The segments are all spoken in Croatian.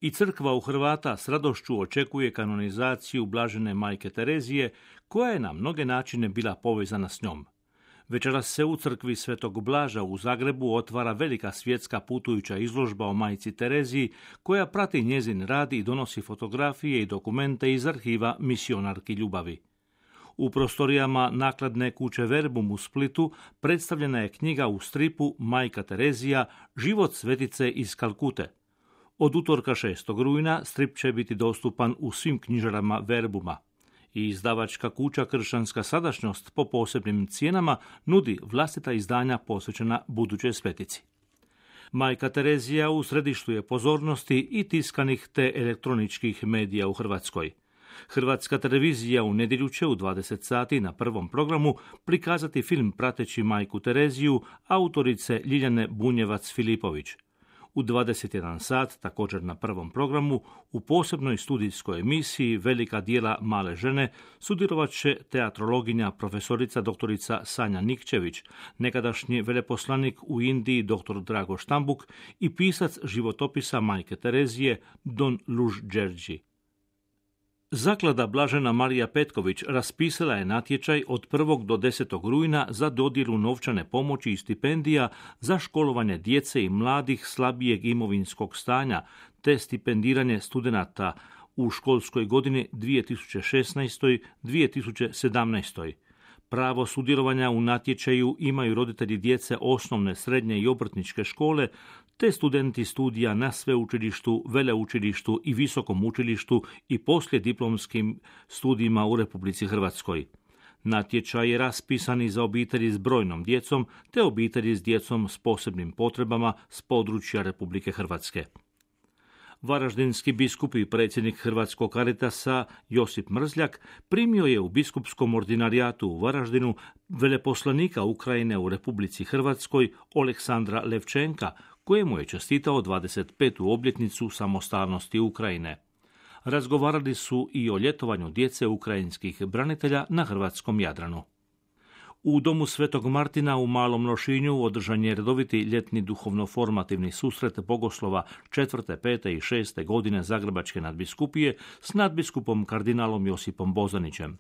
I crkva u Hrvata s radošću očekuje kanonizaciju blažene majke Terezije, koja je na mnoge načine bila povezana s njom. Večeras se u crkvi Svetog Blaža u Zagrebu otvara velika svjetska putujuća izložba o majci Tereziji, koja prati njezin rad i donosi fotografije i dokumente iz arhiva misionarki ljubavi. U prostorijama nakladne kuće Verbum u Splitu predstavljena je knjiga u stripu Majka Terezija, život svetice iz Kalkute. Od utorka 6. rujna strip će biti dostupan u svim knjižarama Verbuma. I izdavačka kuća Kršćanska sadašnjost po posebnim cijenama nudi vlastita izdanja posvećena budućoj svetici. Majka Terezija u središtu je pozornosti i tiskanih te elektroničkih medija u Hrvatskoj. Hrvatska televizija u nedjelju će u 20 sati na prvom programu prikazati film prateći majku Tereziju autorice Ljiljane Bunjevac-Filipović. U 21 sat, također na prvom programu, u posebnoj studijskoj emisiji Velika djela male žene sudjelovat će teatrologinja profesorica doktorica Sanja Nikčević, nekadašnji veleposlanik u Indiji dr. Drago Štambuk i pisac životopisa majke Terezije Don Luž Đerđi. Zaklada Blažena Marija Petković raspisala je natječaj od 1. do 10. rujna za dodjelu novčane pomoći i stipendija za školovanje djece i mladih slabijeg imovinskog stanja, te stipendiranje studenata u školskoj godini 2016-2017. Pravo sudjelovanja u natječaju imaju roditelji djece osnovne, srednje i obrtničke škole, te studenti studija na sveučilištu, veleučilištu i visokom učilištu i poslijediplomskim studijima u Republici Hrvatskoj. Natječaj je raspisan i za obitelji s brojnom djecom, te obitelji s djecom s posebnim potrebama s područja Republike Hrvatske. Varaždinski biskup i predsjednik Hrvatskog Caritasa Josip Mrzljak primio je u biskupskom ordinarijatu u Varaždinu veleposlanika Ukrajine u Republici Hrvatskoj Oleksandra Levčenka, kojemu je čestitao 25. obljetnicu samostalnosti Ukrajine. Razgovarali su i o ljetovanju djece ukrajinskih branitelja na hrvatskom Jadranu. U domu Svetog Martina u Malom Lošinju održan je redoviti ljetni duhovno-formativni susret bogoslova 4., 5. i 6. godine Zagrebačke nadbiskupije s nadbiskupom kardinalom Josipom Bozanićem.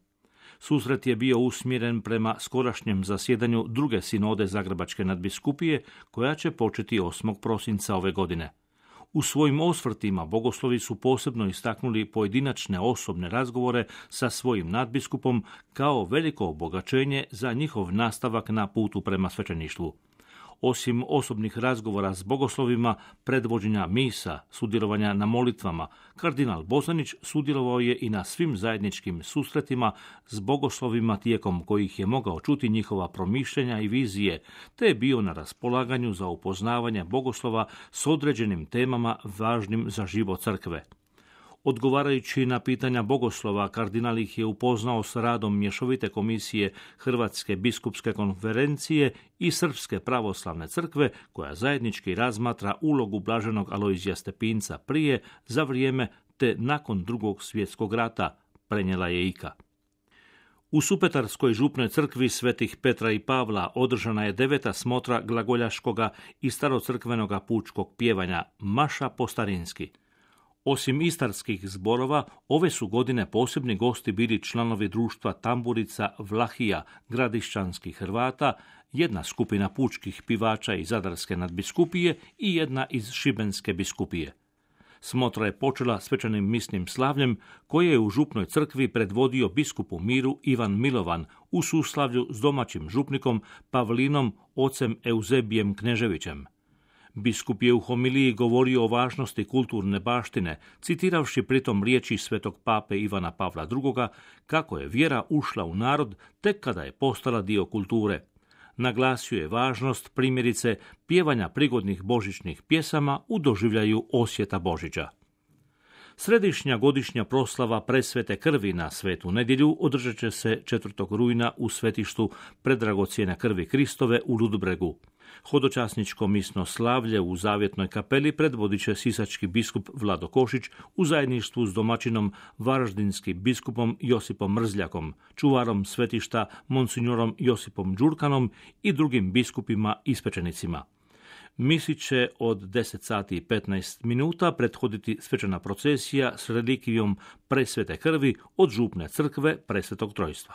Susret je bio usmjeren prema skorašnjem zasjedanju druge sinode Zagrebačke nadbiskupije, koja će početi 8. prosinca ove godine. U svojim osvrtima bogoslovi su posebno istaknuli pojedinačne osobne razgovore sa svojim nadbiskupom kao veliko obogaćenje za njihov nastavak na putu prema svećeništvu. Osim osobnih razgovora s bogoslovima, predvođenja misa, sudjelovanja na molitvama, kardinal Bozanić sudjelovao je i na svim zajedničkim susretima s bogoslovima tijekom kojih je mogao čuti njihova promišljenja i vizije, te je bio na raspolaganju za upoznavanje bogoslova s određenim temama važnim za život crkve. Odgovarajući na pitanja bogoslova, kardinal ih je upoznao s radom mješovite komisije Hrvatske biskupske konferencije i Srpske pravoslavne crkve, koja zajednički razmatra ulogu blaženog Alojzija Stepinca prije, za vrijeme te nakon Drugog svjetskog rata, prenijela je IKA. U Supetarskoj župnoj crkvi Svetih Petra i Pavla održana je 9. smotra glagoljaškoga i starocrkvenoga pučkog pjevanja Maša po starinski. Osim istarskih zborova, ove su godine posebni gosti bili članovi društva Tamburica Vlahija gradišćanskih Hrvata, jedna skupina pučkih pivača iz Zadarske nadbiskupije i jedna iz Šibenske biskupije. Smotra je počela svečanim misnim slavljem koje je u župnoj crkvi predvodio biskup u miru Ivan Milovan u suslavlju s domaćim župnikom Pavlinom ocem Euzebijem Kneževićem. Biskup je u homiliji govorio o važnosti kulturne baštine, citiravši pritom riječi svetog pape Ivana Pavla II. Kako je vjera ušla u narod tek kada je postala dio kulture. Naglasio je važnost, primjerice, pjevanja prigodnih božićnih pjesama u doživljaju osjeta Božića. Središnja godišnja proslava presvete krvi na Svetu nedjelju održat će se 4. rujna u svetištu predragocjene krvi Kristove u Ludbregu. Hodočasničko misno slavlje u Zavjetnoj kapeli predvodit će sisački biskup Vlado Košić u zajedništvu s domaćinom varaždinskim biskupom Josipom Mrzljakom, čuvarom svetišta monsignorom Josipom Đurkanom i drugim biskupima i svećenicima. Misi će od 10 sati i 15 minuta prethoditi svečana procesija s relikvijom presvete krvi od župne crkve Presvetog Trojstva.